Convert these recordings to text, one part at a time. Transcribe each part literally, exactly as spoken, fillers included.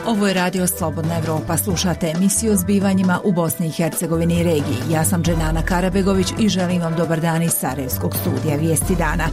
Ovo je radio Slobodna Evropa. Slušate emisiju o zbivanjima u Bosni i Hercegovini i regiji. Ja sam Dženana Karabegović i želim vam dobar dan iz Sarajevskog studija Vijesti dana.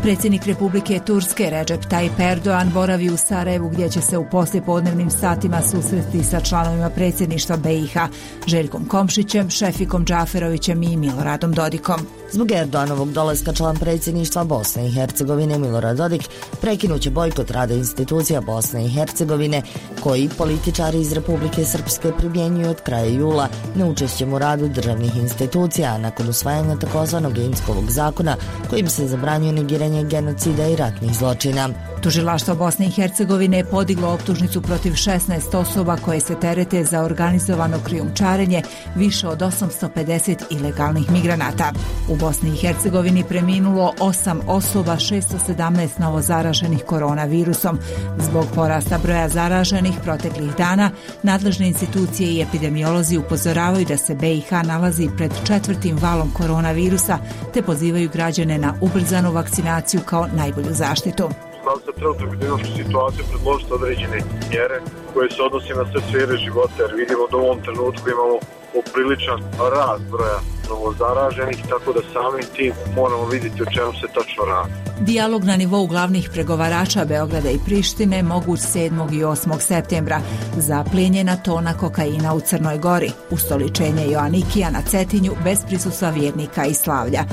Predsjednik Republike Turske Recep Tayyip Erdogan boravi u Sarajevu gdje će se u poslijepodnevnim satima susresti sa članovima predsjedništva B i H, Željkom Komšićem, Šefikom Džaferovićem i Miloradom Dodikom. Zbog Erdoganovog dolaska član predsjedništva Bosne i Hercegovine Milorad Dodik prekinuće bojkot rada institucija Bosne i Hercegovine koji političari iz Republike Srpske primjenjuju od kraja jula neučešćem u radu državnih institucija nakon usvajanja takozvanog Inskovog zakona kojim se zabranjuje negiranje genocida i ratnih zločina. Tužilaštvo Bosne i Hercegovine je podiglo optužnicu protiv šesnaest osoba koje se terete za organizovano krijumčarenje više od osamsto pedeset ilegalnih migranata. U Bosni i Hercegovini preminulo osam osoba, šesto sedamnaest novozaraženih koronavirusom. Zbog porasta broja zaraženih proteklih dana, nadležne institucije i epidemiolozi upozoravaju da se B i H nalazi pred četvrtim valom koronavirusa, te pozivaju građane na ubrzanu vakcinaciju kao najbolju zaštitu. Znam se trenutno epidemiološku situaciju predložiti određene mjere koje se odnose na sve sfere života, jer vidimo da u ovom trenutku imamo popriličan rast broja novozaraženih, tako da samim tim moramo vidjeti o čemu se tačno radi. Dijalog na nivou glavnih pregovarača Beograda i Prištine moguć sedmog i osmog septembra. Zaplijenjena tona kokaina u Crnoj Gori, ustoličenje Joanikija na Cetinju bez prisustva vjernika i slavlja.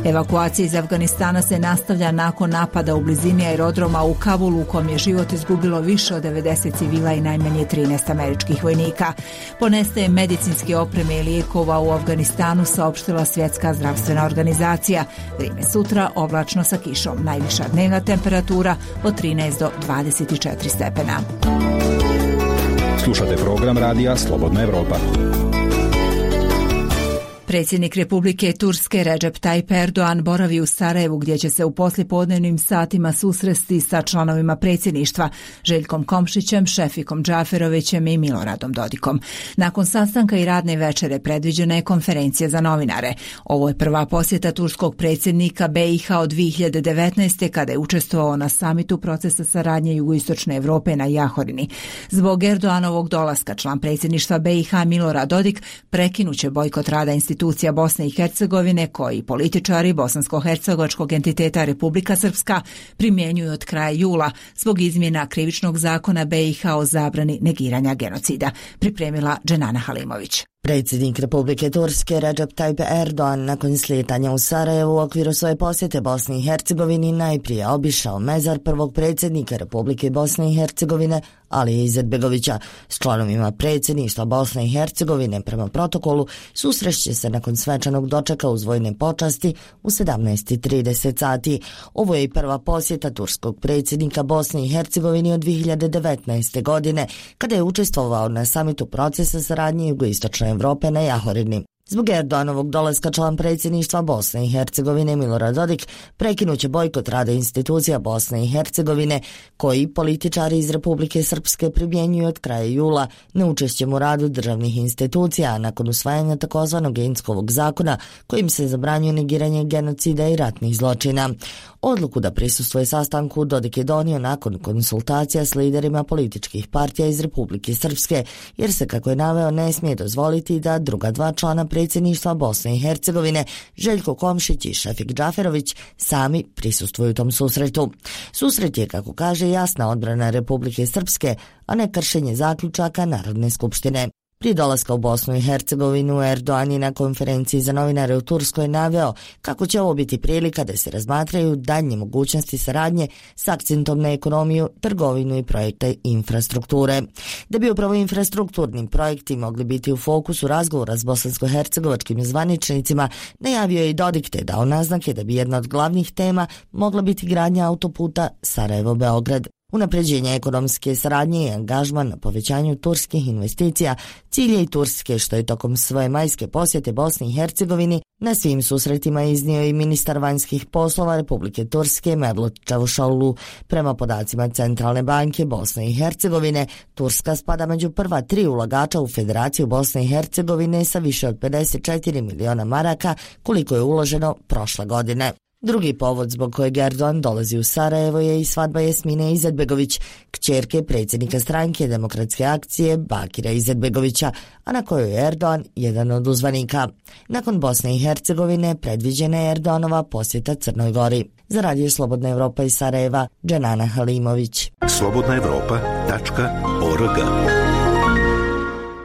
Evakuacija iz Afganistana se nastavlja nakon napada u blizini aerodroma u Kabulu u kom je život izgubilo više od devedeset civila i najmanje trinaest američkih vojnika. Ponestaje medicinske opreme i lijekova u Afganistanu, saopštila Svjetska zdravstvena organizacija. Vrijeme sutra oblačno sa kišom. Najviša dnevna temperatura od trinaest do dvadeset četiri stepena. Slušate program radija Slobodna Evropa. Predsjednik Republike Turske Recep Tayyip Erdogan boravi u Sarajevu gdje će se u poslijepodnevnim satima susresti sa članovima predsjedništva Željkom Komšićem, Šefikom Džaferovićem i Miloradom Dodikom. Nakon sastanka i radne večere predviđena je konferencija za novinare. Ovo je prva posjeta turskog predsjednika B i H od dvije hiljade devetnaeste. kada je učestvovao na samitu procesa saradnje Jugoistočne Evrope na Jahorini. Zbog Erdoganovog dolaska član predsjedništva B i H Milorad Dodik prekinuće bojkot rada institucija institucija Bosne i Hercegovine koji političari bosansko-hercegovačkog entiteta Republika Srpska primjenjuju od kraja jula zbog izmjena krivičnog zakona B i H o zabrani negiranja genocida. Pripremila Dženana Halimović. Predsjednik Republike Turske Recep Tayyip Erdogan nakon slijetanja u Sarajevu u okviru svoje posjete Bosni i Hercegovini najprije obišao mezar prvog predsjednika Republike Bosne i Hercegovine Alije Izetbegovića. S članovima predsjedništva Bosne i Hercegovine prema protokolu susrešće se nakon svečanog dočeka uz vojne počasti u sedamnaest i trideset sati. Ovo je i prva posjeta turskog predsjednika Bosne i Hercegovine od dvije hiljade devetnaeste. godine, kada je učestvovao na samitu procesa saradnje Jugoistočne Evrope na Jahorini. Zbog Erdoganovog dolaska član predsjedništva Bosne i Hercegovine Milorad Dodik prekinuće bojkot rada institucija Bosne i Hercegovine koji političari iz Republike Srpske primjenjuju od kraja jula neučešćem u radu državnih institucija nakon usvajanja takozvanog Inskovog zakona kojim se zabranjuje negiranje genocida i ratnih zločina. Odluku da prisustvuje sastanku Dodik je donio nakon konsultacija s liderima političkih partija iz Republike Srpske, jer se, kako je naveo, ne smije dozvoliti da druga dva člana predsjedništva Bosne i Hercegovine, Željko Komšić i Šefik Džaferović, sami prisustvuju tom susretu. Susret je, kako kaže, jasna odbrana Republike Srpske, a ne kršenje zaključaka Narodne skupštine. Prije dolaska u Bosnu i Hercegovinu, Erdogan je na konferenciji za novinare u Turskoj naveo kako će ovo biti prilika da se razmatraju daljnje mogućnosti saradnje s akcentom na ekonomiju, trgovinu i projekte infrastrukture. Da bi upravo infrastrukturnim projekti mogli biti u fokusu razgovora s bosansko-hercegovačkim zvaničnicima, najavio je i Dodik te dao naznake da bi jedna od glavnih tema mogla biti gradnja autoputa Sarajevo-Beograd. Unapređenje ekonomske saradnje i angažman na povećanju turskih investicija cilj je i Turske, što je tokom svoje majske posjete Bosni i Hercegovini na svim susretima iznio i ministar vanjskih poslova Republike Turske Mevlut Čavuşoğlu. Prema podacima Centralne banke Bosne i Hercegovine, Turska spada među prva tri ulagača u Federaciju Bosne i Hercegovine sa više od pedeset četiri miliona maraka koliko je uloženo prošle godine. Drugi povod zbog kojeg Erdogan dolazi u Sarajevo je i svadba Jasmine Izetbegović, kćerke predsjednika stranke Demokratske akcije Bakira Izetbegovića, a na kojoj je Erdogan jedan od uzvanika. Nakon Bosne i Hercegovine predviđena je Erdoganova posjeta Crnoj Gori. Za Radio Slobodna Evropa iz Sarajeva, Dženana Halimović. slobodna evropa tačka org.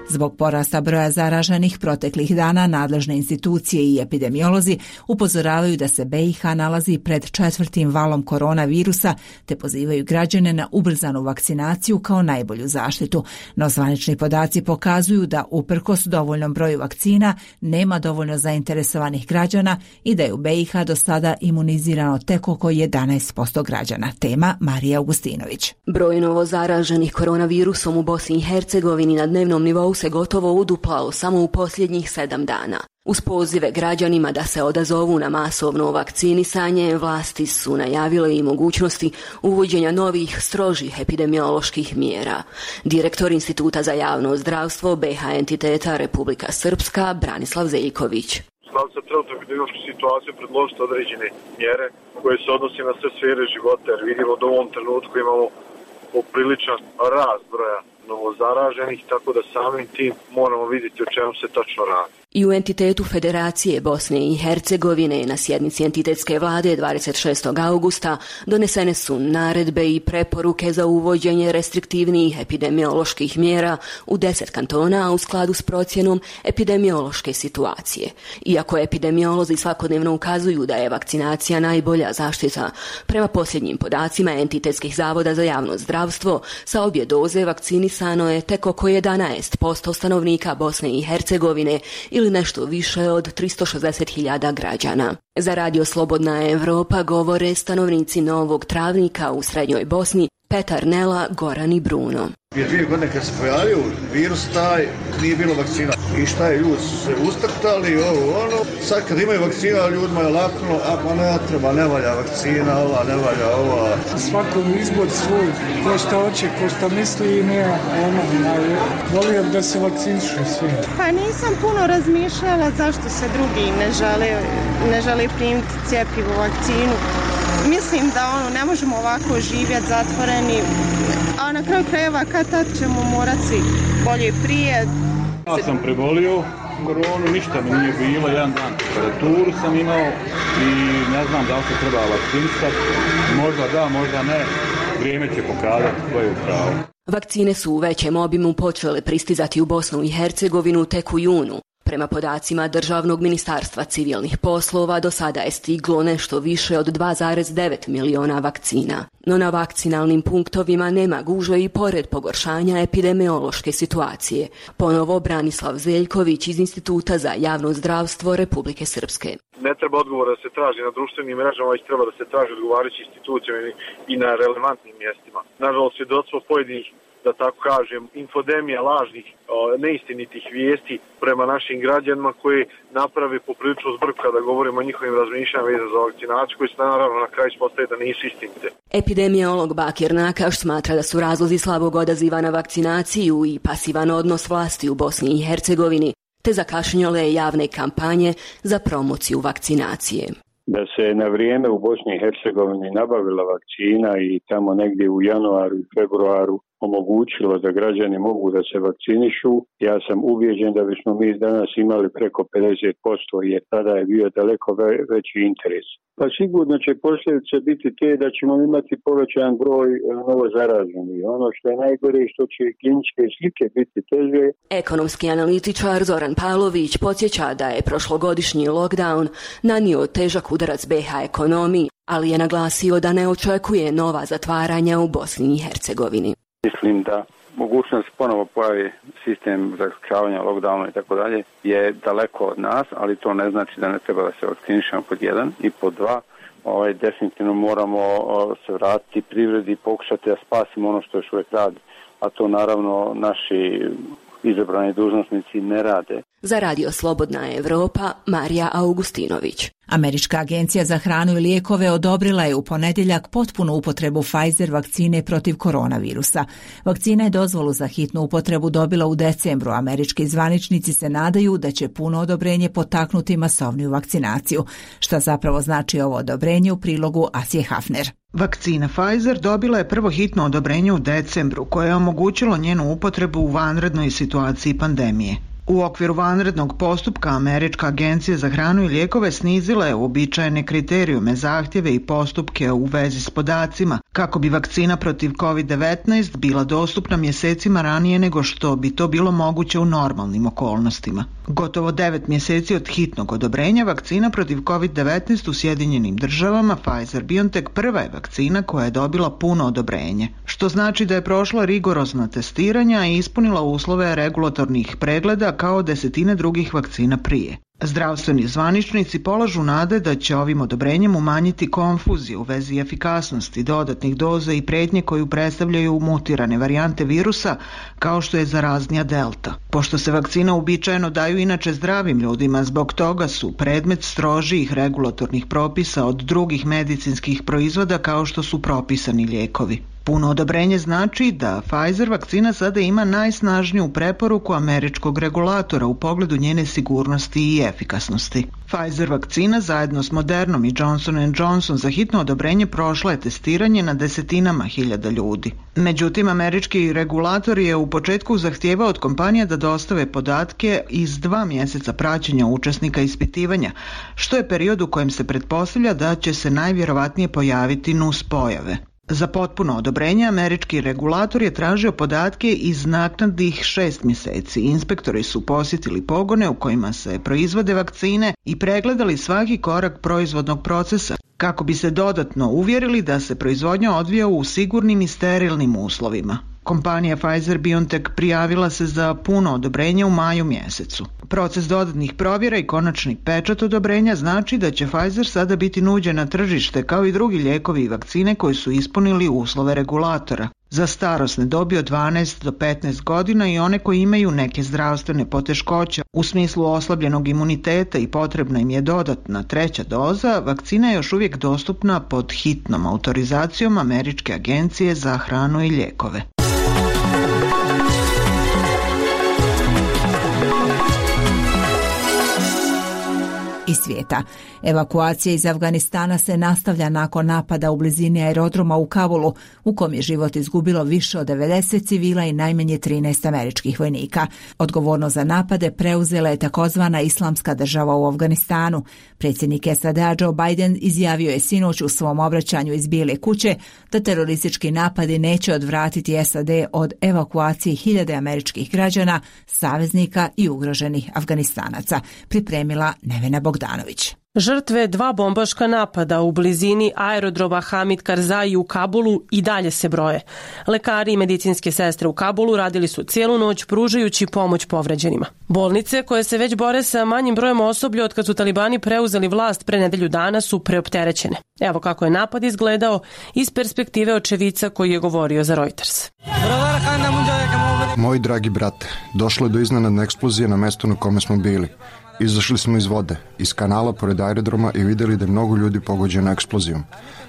Zbog porasta broja zaraženih proteklih dana nadležne institucije i epidemiolozi upozoravaju da se B i H nalazi pred četvrtim valom koronavirusa te pozivaju građane na ubrzanu vakcinaciju kao najbolju zaštitu. No zvanični podaci pokazuju da uprkos dovoljnom broju vakcina nema dovoljno zainteresovanih građana i da je u B i H do sada imunizirano tek oko jedanaest posto građana. Tema Marija Augustinović. Broj novo zaraženih koronavirusom u Bosni i Hercegovini na dnevnom nivou se gotovo uduplao samo u posljednjih sedam dana. Uz pozive građanima da se odazovu na masovno vakcinisanje, vlasti su najavile i mogućnosti uvođenja novih strožih epidemioloških mjera. Direktor Instituta za javno zdravstvo B H entiteta Republika Srpska Branislav Zeljković. Stav sa trenutnom epidemiološkom situacijom predložiti određene mjere koje se odnose na sve sfere života, jer vidimo da u ovom trenutku imamo popriličan rast broja novozaraženih, tako da samim tim moramo vidjeti o čemu se tačno radi. I u entitetu Federacije Bosne i Hercegovine na sjednici entitetske vlade dvadeset šestog augusta donesene su naredbe i preporuke za uvođenje restriktivnijih epidemioloških mjera u deset kantona, a u skladu s procjenom epidemiološke situacije. Iako epidemiolozi svakodnevno ukazuju da je vakcinacija najbolja zaštita, prema posljednjim podacima entitetskih zavoda za javno zdravstvo, sa obje doze vakcinisano je tek oko jedanaest posto stanovnika Bosne i Hercegovine ili nešto više od tristo šezdeset hiljada građana. Za Radio Slobodna Evropa govore stanovnici Novog Travnika u Srednjoj Bosni Petar Nela, Goran i Bruno. Prije dvije godine kad se pojavio virus taj, nije bilo vakcina. I šta je, ljudi su se ustrtali, ovo, ono. Sad kad imaju vakcina, ljudima je laknulo, a pa ne treba, ne valja vakcina, ova, ne valja ova. Svakom izbor svoj, ko šta hoće, ko šta misli i nema, ono, volio da se vakcinišu svi. Pa nisam puno razmišljala zašto se drugi ne žele, ne žele primiti cjepivu, vakcinu. Mislim da ono, ne možemo ovako živjeti zatvoreni, a na kraju krajeva kad tad ćemo morati svi bolje prije. Ja sam prebolio koronu, ništa mi nije bilo, jedan dan temperaturu sam imao i ne znam da li se treba vakcinisati, možda da, možda ne, vrijeme će pokazati koje je pravo. Vakcine su u većem obimu počele pristizati u Bosnu i Hercegovinu tek u junu. Prema podacima Državnog ministarstva civilnih poslova do sada je stiglo nešto više od dva zarez devet miliona vakcina. No na vakcinalnim punktovima nema gužve i pored pogoršanja epidemiološke situacije. Ponovo Branislav Zeljković iz Instituta za javno zdravstvo Republike Srpske. Ne treba odgovor da se traži na društvenim mrežama, već treba da se traži odgovarajući institucijama i na relevantnim mjestima. Nažalost, svjedočimo pojedinih, da tako kažem, infodemija lažnih, neistinitih vijesti prema našim građanima koji naprave popriličnu zbrku kada govorimo o njihovim razmišljanjima vezano za vakcinaciju, koji se naravno na kraju ispostaje da nisu istinite. Epidemiolog Bakir Nakaš smatra da su razlozi slabog odaziva na vakcinaciju i pasivan odnos vlasti u Bosni i Hercegovini, te zakašnjele javne kampanje za promociju vakcinacije. Da se na vrijeme u Bosni i Hercegovini nabavila vakcina i tamo negdje u januaru i februaru omogućilo da građani mogu da se vakcinišu, ja sam ubijeđen da bismo mi danas imali preko pedeset posto jer tada je bio daleko veći interes. Pa sigurno će posljedice biti te da ćemo imati povećan broj novo zaraženih. Ono što je najgore je što će kliničke slike biti teže. Ekonomski analitičar Zoran Pavlović podsjeća da je prošlogodišnji lockdown nanio težak udarac B H ekonomiji, ali je naglasio da ne očekuje nova zatvaranja u Bosni i Hercegovini. Mislim da mogućnost ponovo pojavi sistem zaključavanja lockdowna i tako dalje je daleko od nas, ali to ne znači da ne treba da se vakcinišemo pod jedan i pod dva. Ovaj, definitivno moramo o, se vratiti privredi i pokušati da spasimo ono što još uvijek radi, a to naravno naši izabrani dužnosnici ne rade. Za Radio Slobodna Evropa, Marija Augustinović. Američka agencija za hranu i lijekove odobrila je u ponedjeljak potpunu upotrebu Pfizer vakcine protiv koronavirusa. Vakcina je dozvolu za hitnu upotrebu dobila u decembru. Američki zvaničnici se nadaju da će puno odobrenje potaknuti masovniju vakcinaciju. Šta zapravo znači ovo odobrenje u prilogu Asije Hafner. Vakcina Pfizer dobila je prvo hitno odobrenje u decembru koje je omogućilo njenu upotrebu u vanrednoj situaciji pandemije. U okviru vanrednog postupka Američka agencija za hranu i lijekove snizila je uobičajene kriterijume, zahtjeve i postupke u vezi s podacima kako bi vakcina protiv kovid devetnaest bila dostupna mjesecima ranije nego što bi to bilo moguće u normalnim okolnostima. Gotovo devet mjeseci od hitnog odobrenja vakcina protiv kovid devetnaest u Sjedinjenim državama Pfizer-BioNTech prva je vakcina koja je dobila puno odobrenje, što znači da je prošla rigorozna testiranja i ispunila uslove regulatornih pregleda kao desetine drugih vakcina prije. Zdravstveni zvaničnici polažu nade da će ovim odobrenjem umanjiti konfuziju u vezi efikasnosti dodatnih doza i prijetnje koju predstavljaju mutirane varijante virusa kao što je zaraznija delta. Pošto se vakcine uobičajeno daju inače zdravim ljudima, zbog toga su predmet strožijih regulatornih propisa od drugih medicinskih proizvoda kao što su propisani lijekovi. Puno odobrenje znači da Pfizer vakcina sada ima najsnažniju preporuku američkog regulatora u pogledu njene sigurnosti i efikasnosti. Pfizer vakcina zajedno s Modernom i Johnson and Johnson za hitno odobrenje prošla je testiranje na desetinama hiljada ljudi. Međutim, američki regulator je u početku zahtijevao od kompanija da dostave podatke iz dva mjeseca praćenja učesnika ispitivanja, što je period u kojem se pretpostavlja da će se najvjerovatnije pojaviti nuspojave. Za potpuno odobrenje američki regulator je tražio podatke iz naknadnih šest mjeseci. Inspektori su posjetili pogone u kojima se proizvode vakcine i pregledali svaki korak proizvodnog procesa kako bi se dodatno uvjerili da se proizvodnja odvija u sigurnim i sterilnim uslovima. Kompanija Pfizer-BioNTech prijavila se za puno odobrenje u maju mjesecu. Proces dodatnih provjera i konačni pečat odobrenja znači da će Pfizer sada biti nuđen na tržište kao i drugi lijekovi i vakcine koji su ispunili uslove regulatora. Za starosne dobi od dvanaest do petnaest godina i one koji imaju neke zdravstvene poteškoće u smislu oslabljenog imuniteta i potrebna im je dodatna treća doza, vakcina je još uvijek dostupna pod hitnom autorizacijom Američke agencije za hranu i lijekove. Iz svijeta. Evakuacija iz Afganistana se nastavlja nakon napada u blizini aerodroma u Kabulu, u kom je život izgubilo više od devedeset civila i najmanje trinaest američkih vojnika. Odgovornost za napade preuzela je takozvana Islamska država u Afganistanu. Predsjednik S A D-a Joe Biden izjavio je sinoć u svom obraćanju iz Bijele kuće da teroristički napadi neće odvratiti S A D od evakuacije hiljade američkih građana, saveznika i ugroženih Afganistanaca. Pripremila Nevena Bogdanović. Žrtve dva bombaška napada u blizini aerodroma Hamid Karzai u Kabulu i dalje se broje. Lekari i medicinske sestre u Kabulu radili su cijelu noć pružajući pomoć povređenima. Bolnice, koje se već bore sa manjim brojem osoblja od kad su talibani preuzeli vlast pre nedelju dana, su preopterećene. Evo kako je napad izgledao iz perspektive očevica koji je govorio za Reuters. Moji dragi brate, došlo je do iznenadne eksplozije na mjestu na kome smo bili. Izašli smo iz vode, iz kanala pored aerodroma i vidjeli da je mnogo ljudi pogođeno eksplozijom.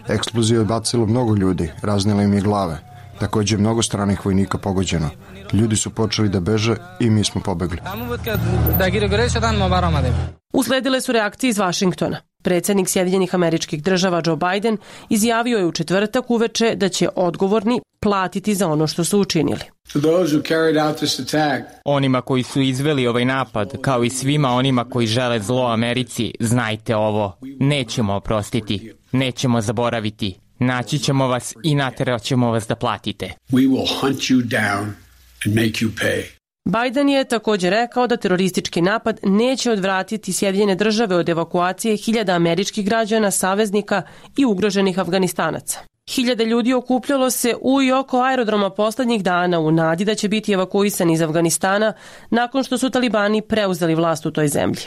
Eksplozija je odbacila mnogo ljudi, raznijela im je glave. Također je mnogo stranih vojnika pogođeno. Ljudi su počeli da beže i mi smo pobegli. Usledile su reakcije iz Vašingtona. Predsjednik Sjedinjenih Američkih Država Joe Biden izjavio je u četvrtak uveče da će odgovorni platiti za ono što su učinili. Onima koji su izveli ovaj napad, kao i svima onima koji žele zlo Americi, znajte ovo, nećemo oprostiti, nećemo zaboraviti, naći ćemo vas i natjerat ćemo vas da platite. We will hunt you down and make you pay. Biden je također rekao da teroristički napad neće odvratiti Sjedinjene Države od evakuacije hiljada američkih građana, saveznika i ugroženih Afganistanaca. Hiljade ljudi okupljalo se u i oko aerodroma posljednjih dana u nadi da će biti evakuisani iz Afganistana nakon što su talibani preuzeli vlast u toj zemlji.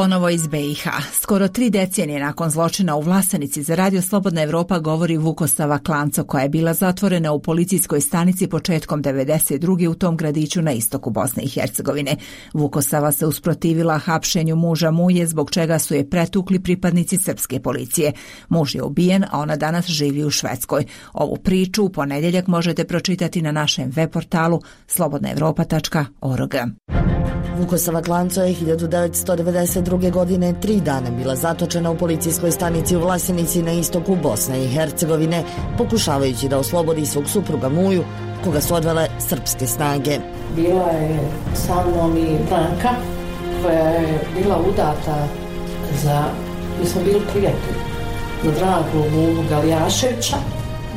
Ponovo iz B i H. Skoro tri decenije nakon zločina u Vlasenici za Radio Slobodna Evropa govori Vukosava Klanco, koja je bila zatvorena u policijskoj stanici početkom devedeset druge u tom gradiću na istoku Bosne i Hercegovine. Vukosava se usprotivila hapšenju muža Muje, zbog čega su je pretukli pripadnici srpske policije. Muž je ubijen, a ona danas živi u Švedskoj. Ovu priču u ponedjeljak možete pročitati na našem web portalu slobodna evropa tačka org. Vukosava Klanco je hiljadu devetsto devedeset druge. godine tri dana bila zatočena u policijskoj stanici u Vlasenici na istoku Bosne i Hercegovine, pokušavajući da oslobodi svog supruga Muju, koga su odvele srpske snage. Bila je sa mnom i Branka, koja je bila udata za, mi smo bili prijatelji, za dragu Muju Galijaševića,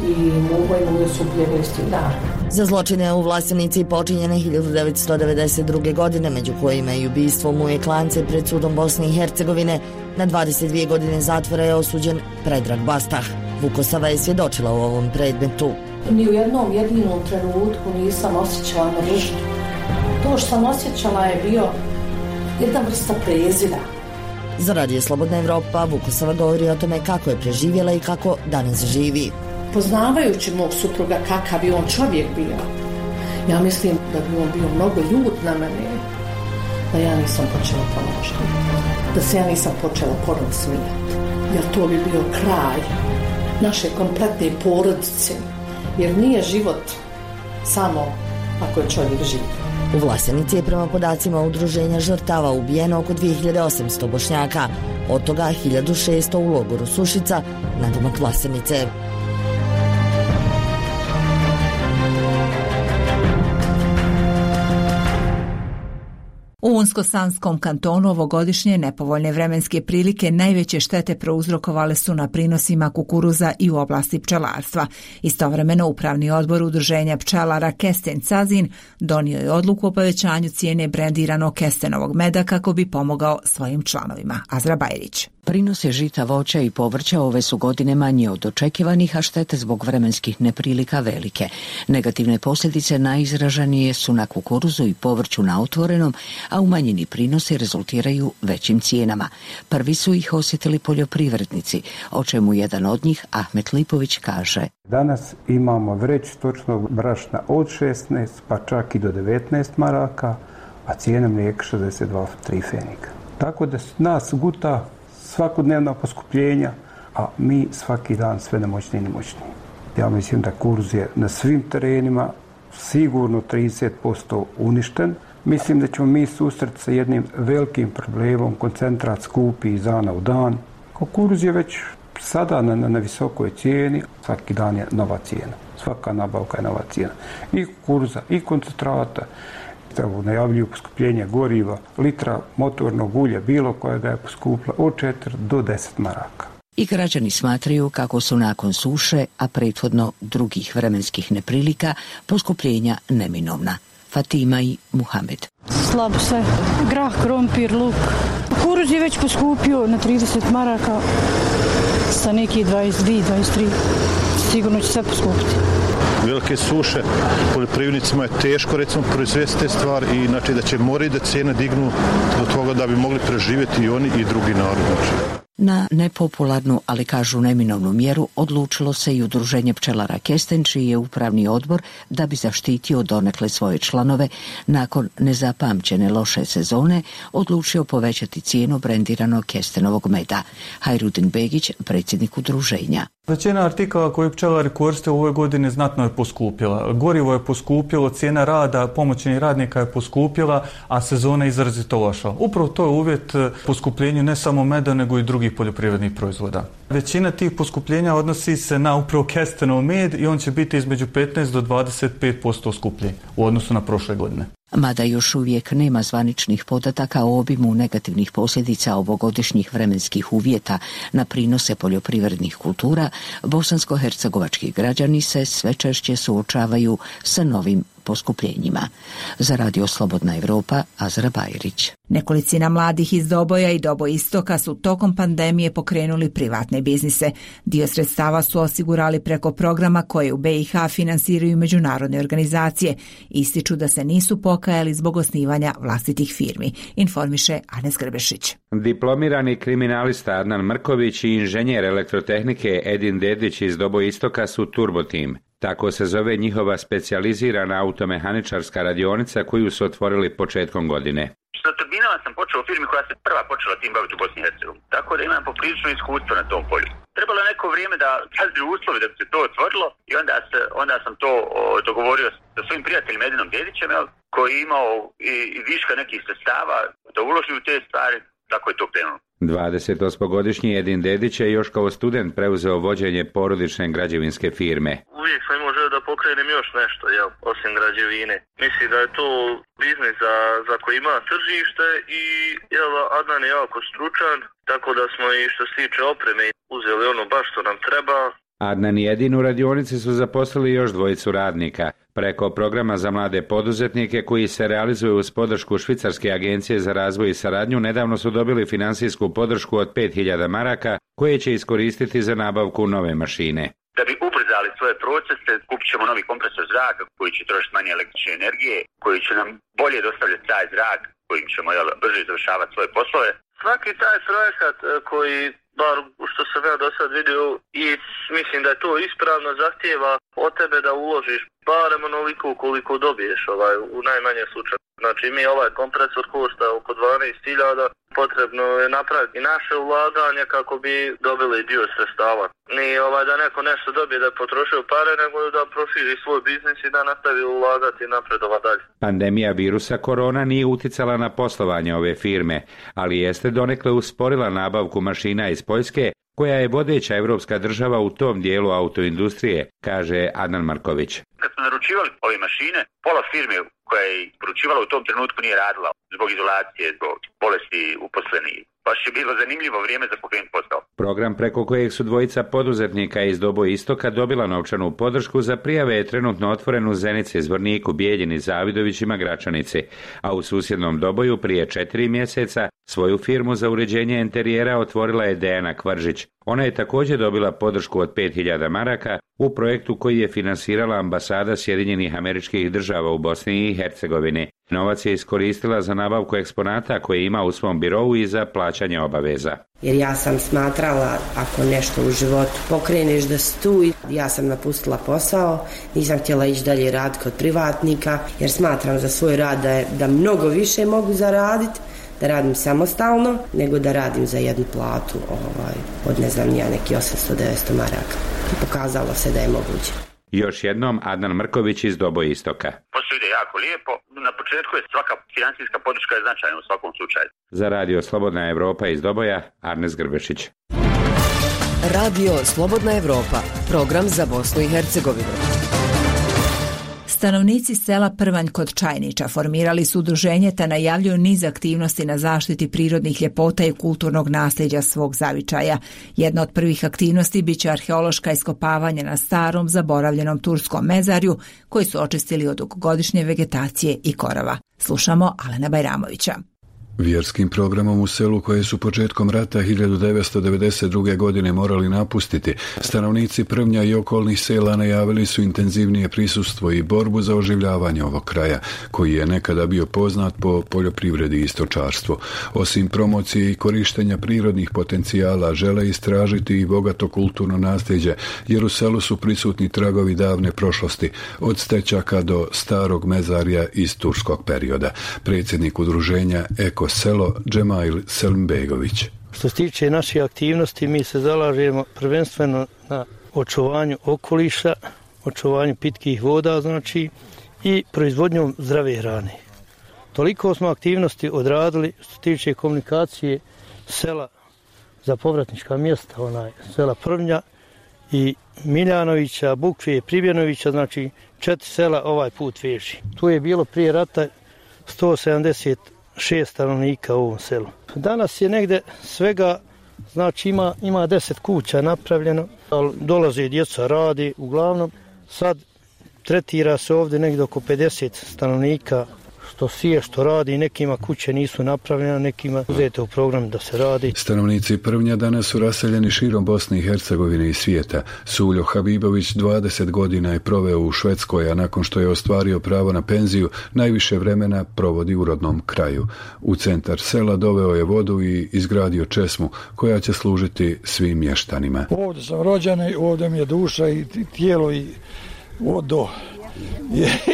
i Mugo i Mujo su ubijeni isti dan. Za zločine u Vlasenici počinjene hiljadu devetsto devedeset druge. godine, među kojima i ubistvo Muje Klance pred sudom Bosne i Hercegovine, na dvadeset dvije godine zatvora je osuđen Predrag Bastah. Vukosava je svjedočila u ovom predmetu. Ni u jednom jedinom trenutku nisam osjećala mržnju. To što sam osjećala je bio jedna vrsta prezira. Za Radio Slobodna Evropa Vukosava govori o tome kako je preživjela i kako danas živi. Poznavajući mog supruga kakav je on čovjek bio, ja mislim da bi on bio mnogo ljut na mene, da ja nisam počela ponašati, da se ja nisam počela ponovno smijati, jer to bi bio kraj naše kompletne porodice, jer nije život samo ako je čovjek živ. U Vlasenici je prema podacima udruženja žrtava ubijeno oko dvije hiljade osamsto Bošnjaka, od toga hiljadu šesto u logoru Sušica, nadomak Vlasenice. U Unsko-Sanskom kantonu ovogodišnje nepovoljne vremenske prilike najveće štete prouzrokovale su na prinosima kukuruza i u oblasti pčelarstva. Istovremeno Upravni odbor udruženja pčelara Kesten Cazin donio je odluku o povećanju cijene brendiranog kestenovog meda kako bi pomogao svojim članovima. Azra Bajrić. Prinose žita, voća i povrća ove su godine manje od očekivanih, a štete zbog vremenskih neprilika velike. Negativne posljedice najizraženije su na kukuruzu i povrću na otvorenom, a umanjeni prinosi rezultiraju većim cijenama. Prvi su ih osjetili poljoprivrednici, o čemu jedan od njih, Ahmet Lipović, kaže: Danas imamo vreć stočnog brašna od šesnaest pa čak i do devetnaest maraka, a cijena mlijeka šezdeset dva tri fenika. Tako da nas guta svakodnevna poskupljenja, a mi svaki dan sve nemoćniji i nemoćniji. Ja mislim da kukuruz je na svim terenima sigurno trideset posto uništen. Mislim da ćemo mi susreti sa jednim velikim problemom, koncentrat skupi iz dana u dan. Kukuruz je već sada na, na, na visokoj cijeni, svaki dan je nova cijena. Svaka nabavka je nova cijena. I kukuruza, i koncentrata. Najavljuju poskupljenje goriva, litra motornog ulja, bilo kojega je poskupla od četiri do deset maraka. I građani smatraju kako su nakon suše, a prethodno drugih vremenskih neprilika, poskupljenja neminovna. Fatima i Muhamed. Slabo se. Grah, krompir, luk. Kukuruz je već poskupio na trideset maraka, sa neki dvadeset dvije dvadeset tri. Sigurno će sve poskupiti. Velike suše, poljoprivrednicima je teško recimo proizvesti te stvari i znači da će morati da cijene dignu do toga da bi mogli preživjeti i oni i drugi narod. Na nepopularnu, ali kažu neminovnu mjeru odlučilo se i udruženje pčelara Kesten, čiji je upravni odbor, da bi zaštitio donekle svoje članove nakon nezapamćene loše sezone, odlučio povećati cijenu brendiranog kestenovog meda. Hajrudin Begić, predsjednik udruženja. Većina artikala koje pčelari koriste u ovoj godini znatno je poskupila. Gorivo je poskupilo, cijena rada pomoćnih radnika je poskupila, a sezona je izrazito loša. Upravo to je uvjet poskupljenju ne samo meda, nego i drugih poljoprivrednih proizvoda. Većina tih poskupljenja odnosi se na upravo kestenov med i on će biti između petnaest do dvadeset pet posto skuplji u odnosu na prošle godine. Mada još uvijek nema zvaničnih podataka o obimu negativnih posljedica ovogodišnjih vremenskih uvjeta na prinose poljoprivrednih kultura, bosansko-hercegovački građani se sve češće suočavaju sa novim poskupljenjima. Za Radio Slobodna Evropa, Azra Bajrić. Nekolicina mladih iz Doboja i Dobo Istoka su tokom pandemije pokrenuli privatne biznise. Dio sredstava su osigurali preko programa koje u be i ha finansiraju međunarodne organizacije. Ističu da se nisu pokajali zbog osnivanja vlastitih firmi, informiše Anes Grbešić. Diplomirani kriminalista Adnan Mrković i inženjer elektrotehnike Edin Dedić iz Dobo Istoka su Turbo Team. Tako se zove njihova specijalizirana automehaničarska radionica koju su otvorili početkom godine. Sa turbinama sam počeo u firmi koja se prva počela tim baviti u Bosni i Hercegovini, tako da imam poprilično iskustvo na tom polju. Trebalo je neko vrijeme da sazri uslovi da bi se to otvorilo i onda, se, onda sam to o, dogovorio sa svojim prijateljem Edinom Dedićem, jel, koji je imao i, i viška nekih sredstava da uloži u te stvari, tako je to krenulo. dvadesetosmogodišnji Edin Dedić je još kao student preuzeo vođenje porodične građevinske firme. Uvijek sam imao želju da pokrenem još nešto, jel, osim građevine. Mislim da je to biznis za, za koji ima tržište i jel, Adnan je jako stručan, tako da smo i što se tiče opreme uzeli ono baš što nam treba. Adnan i Edin u radionici su zaposlili još dvojicu radnika. Preko programa za mlade poduzetnike koji se realizuje uz podršku Švicarske agencije za razvoj i saradnju nedavno su dobili finansijsku podršku od pet hiljada maraka koje će iskoristiti za nabavku nove mašine. Da bi ubrzali svoje procese, kupit ćemo novi kompresor zraka koji će trošiti manje električne energije, koji će nam bolje dostavljati taj zrak, kojim ćemo jel, brže završavati svoje poslove. Svaki taj projekat koji, bar što sam ja do sad vidio, i mislim da je to ispravno, zahtijeva od tebe da uložiš barem onoliko koliko dobiješ ovaj, u najmanje slučaju. Znači mi ovaj kompresor košta oko dvanaest hiljada, potrebno je napraviti naše ulaganje kako bi dobili dio sredstava. Nije ovaj, da neko nešto dobije da je potrošio pare, nego da proširi svoj biznis i da nastavi ulagati i napredova dalje. Pandemija virusa korona nije uticala na poslovanje ove firme, ali jeste donekle usporila nabavku mašina iz Poljske, koja je vodeća evropska država u tom dijelu autoindustrije, kaže Adnan Marković. Kad smo naručivali ove mašine, pola firme koja je poručivala u tom trenutku nije radila zbog izolacije, zbog bolesti uposlenih. Baš je bilo zanimljivo vrijeme za pokrenuti posao. Program preko kojeg su dvojica poduzetnika iz Dobo Istoka dobila novčanu podršku za prijave je trenutno otvoren u Zenici, Zvorniku, Bijeljini, Zavidovićima, Gračanici, a u susjednom Doboju prije četiri mjeseca svoju firmu za uređenje interijera otvorila je Dejana Kvaržić. Ona je također dobila podršku od pet hiljada maraka u projektu koji je finansirala ambasada Sjedinjenih Američkih Država u Bosni i Hercegovini. Novac je iskoristila za nabavku eksponata koje ima u svom birovu i za plaćanje obaveza. Jer ja sam smatrala, ako nešto u životu pokreneš da si tu, ja sam napustila posao, nisam htjela ići dalje raditi kod privatnika, jer smatram za svoj rad da, je, da mnogo više mogu zaraditi, da radim samostalno, nego da radim za jednu platu ovaj, od ne znam ja neki osamsto do devetsto maraka. I pokazalo se da je moguće. Još jednom Adnan Mrković iz Dobo Istoka. Posao ide jako lijepo. Na početku je svaka financijska podrška je značajna u svakom slučaju. Za Radio Slobodna Evropa iz Doboja, Arnes Grbešić. Radio Slobodna Evropa, program za Bosnu i Hercegovinu. Stanovnici sela Prvanj kod Čajnića formirali su udruženje te najavljuju niz aktivnosti na zaštiti prirodnih ljepota i kulturnog nasljeđa svog zavičaja. Jedna od prvih aktivnosti biće arheološka iskopavanja na starom, zaboravljenom turskom mezarju koji su očistili od dugogodišnje vegetacije i korova. Slušamo Alena Bajramovića. Vjerskim programom u selu koje su početkom rata hiljadu devetsto devedeset druge. godine morali napustiti, stanovnici Prvnja i okolnih sela najavili su intenzivnije prisustvo i borbu za oživljavanje ovog kraja, koji je nekada bio poznat po poljoprivredi i stočarstvu. Osim promocije i korištenja prirodnih potencijala, žele istražiti i bogato kulturno nasljeđe, jer u selu su prisutni tragovi davne prošlosti, od stećaka do starog mezarja iz turskog perioda. Predsjednik udruženja Eko selo Džemail Selimbegović. Što se tiče naših aktivnosti, mi se zalažemo prvenstveno na očuvanju okoliša, očuvanju pitkih voda, znači, i proizvodnjom zdrave hrane. Toliko smo aktivnosti odradili što se tiče komunikacije sela za povratnička mjesta, onaj sela Prvnja i Miljanovića, Bukve, Pribjanovića, znači četiri sela ovaj put veži. Tu je bilo prije rata sto sedamdeset šest stanovnika u ovom selu. Danas je negde svega, znači ima, ima deset kuća napravljeno, ali dolaze djeca, radi, uglavnom sad tretira se ovdje negdje oko pedeset stanovnika, što sije, što radi, nekima kuće nisu napravljene, nekima uzete u program da se radi. Stanovnici Prvnja danas su raseljeni širom Bosne i Hercegovine i svijeta. Suljo Habibović dvadeset godina je proveo u Švedskoj, a nakon što je ostvario pravo na penziju, najviše vremena provodi u rodnom kraju. U centar sela doveo je vodu i izgradio česmu koja će služiti svim mještanima. Ovdje sam rođen, ovdje mi je duša i tijelo i vodo.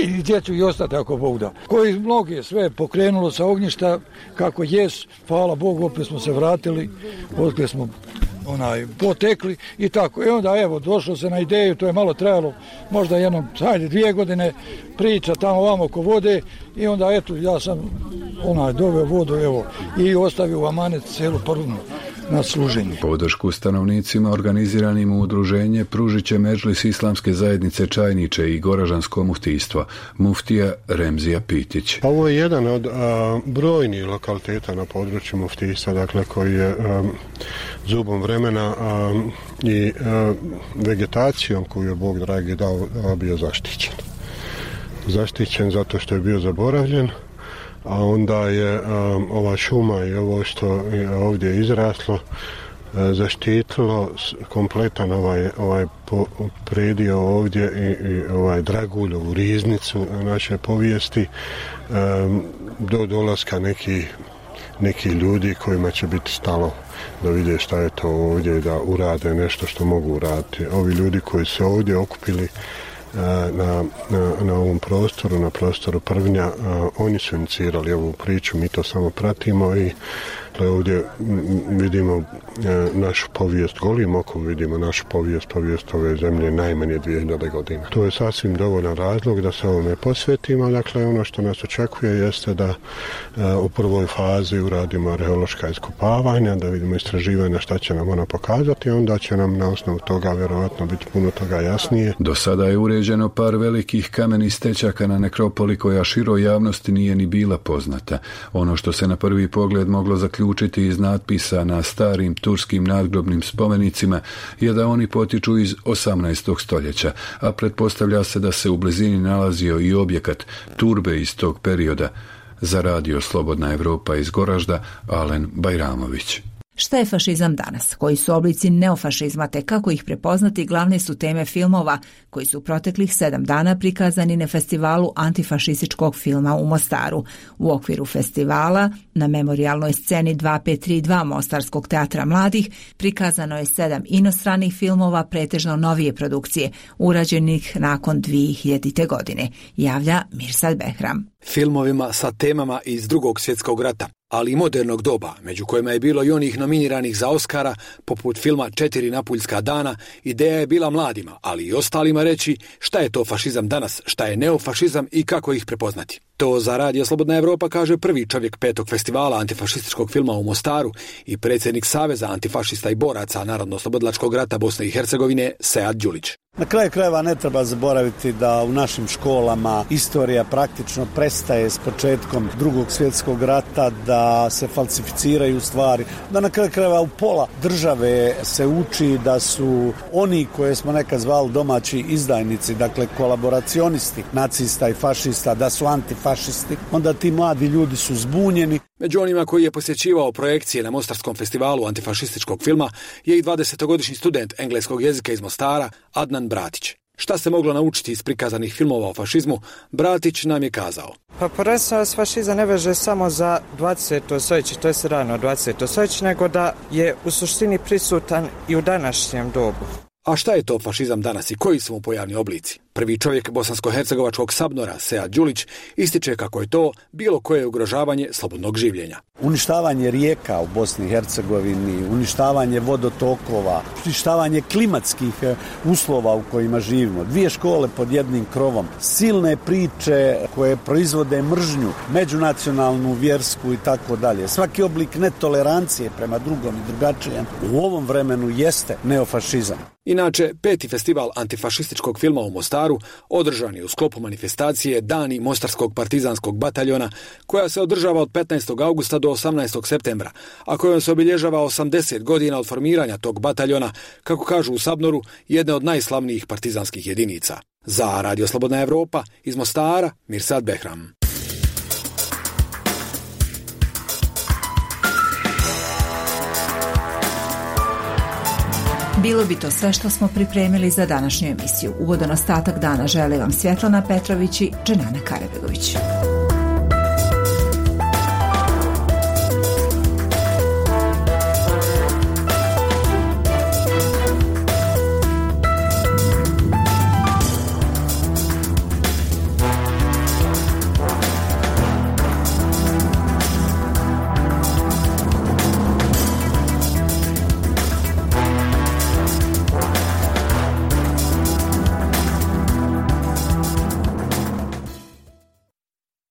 I gdje ću i ostati ako Bog da. Koji mnogi sve pokrenulo sa ognjišta kako jes, hvala Bogu, opet smo se vratili, odkle smo onaj, potekli i tako. I onda evo, došlo se na ideju, to je malo trajalo, možda jedno, hajde, dvije godine priča tamo ovamo oko vode i onda eto, ja sam onaj, doveo vodu, evo, i ostavio u amanet celu Prvnu na služenje. Podršku stanovnicima organiziranim u udruženje pružit će Medžlis Islamske zajednice Čajniče i Goražansko muftijstvo, muftija Remzija Pitić. Ovo je jedan od a, brojnih lokaliteta na području muftijstva, dakle koji je a, zubom vremena a, i a, vegetacijom koju je Bog dragi dao, a, bio zaštićen. Zaštićen zato što je bio zaboravljen, a onda je um, ova šuma i ovo što je ovdje izraslo uh, zaštitilo kompletan ovaj, ovaj po, predio ovdje i, i ovaj Draguljovu riznicu naše povijesti um, do dolaska neki, neki ljudi kojima će biti stalo da vide šta je to ovdje i da urade nešto što mogu uraditi. Ovi ljudi koji se ovdje okupili Na, na, na ovom prostoru, na prostoru Prvnja, a, oni su inicirali ovu priču, mi to samo pratimo i ovdje vidimo a, našu povijest, golim okom vidimo našu povijest, povijest ove zemlje najmanje dvije hiljade godina. To je sasvim dovoljan razlog da se ovome posvetimo, dakle ono što nas očekuje jeste da a, u prvoj fazi uradimo arheološka iskopavanja, da vidimo istraživanja šta će nam ona pokazati, onda će nam na osnovu toga vjerovatno biti puno toga jasnije. Do sada je uređeno par velikih kamenih stečaka na nekropoli koja široj javnosti nije ni bila poznata. Ono što se na prvi pogled moglo zaključiti iz natpisa na starim turskim nadgrobnim spomenicima je da oni potiču iz osamnaestog stoljeća, a pretpostavlja se da se u blizini nalazio i objekat turbe iz tog perioda. Za radio Slobodna Evropa iz Goražda, Alen Bajramović. Šta je fašizam danas? Koji su oblici neofašizma te kako ih prepoznati glavne su teme filmova koji su proteklih sedam dana prikazani na festivalu antifašističkog filma u Mostaru. U okviru festivala na memorijalnoj sceni dva pet tri dva Mostarskog teatra mladih prikazano je sedam inostranih filmova, pretežno novije produkcije, urađenih nakon dvije hiljadite godine, javlja Mirsad Behram. Filmovima sa temama iz Drugog svjetskog rata, ali i modernog doba, među kojima je bilo i onih nominiranih za Oskara, poput filma Četiri napuljska dana, ideja je bila mladima, ali i ostalima reći šta je to fašizam danas, šta je neofašizam i kako ih prepoznati. To za radio Slobodna Evropa kaže prvi čovjek petog festivala antifašističkog filma u Mostaru i predsjednik Saveza antifašista i boraca Narodno-oslobodilačkog rata Bosne i Hercegovine Sead Đulić. Na kraju krajeva ne treba zaboraviti da u našim školama istorija praktično prestaje s početkom Drugog svjetskog rata, da se falsificiraju stvari, da na kraju krajeva u pola države se uči da su oni koje smo nekad zvali domaći izdajnici, dakle kolaboracionisti nacista i fašista, da su antifašisti, onda ti mladi ljudi su zbunjeni. Među onima koji je posjećivao projekcije na Mostarskom festivalu antifašističkog filma je i dvadesetogodišnji student engleskog jezika iz Mostara Adnan Bratić. Šta se moglo naučiti iz prikazanih filmova o fašizmu, Bratić nam je kazao. Pa prvenstveno se fašizam ne veže samo za dvadeseto stoljeće, to je rano dvadeseto stoljeće, nego da je u suštini prisutan i u današnjem dobu. A šta je to fašizam danas i koji su mu pojavni oblici? Prvi čovjek bosansko-hercegovačkog Sabnora, Sead Đulić, ističe kako je to bilo koje ugrožavanje slobodnog življenja. Uništavanje rijeka u Bosni i Hercegovini, uništavanje vodotokova, uništavanje klimatskih uslova u kojima živimo, dvije škole pod jednim krovom, silne priče koje proizvode mržnju, međunacionalnu, vjersku i tako dalje. Svaki oblik netolerancije prema drugom i drugačijem u ovom vremenu jeste neofašizam. Inače, peti festival antifašističkog filma u Mostaru Mostaru održan je u sklopu manifestacije Dani Mostarskog partizanskog bataljona, koja se održava od petnaestog augusta do osamnaestog septembra, a kojom se obilježava osamdeset godina od formiranja tog bataljona, kako kažu u Sabnoru, jedne od najslavnijih partizanskih jedinica. Za Radio Slobodna Evropa iz Mostara, Mirsad Behram. Bilo bi to sve što smo pripremili za današnju emisiju. Ugodan ostatak dana žele vam Svjetlana Petrović i Dženana Karabegović.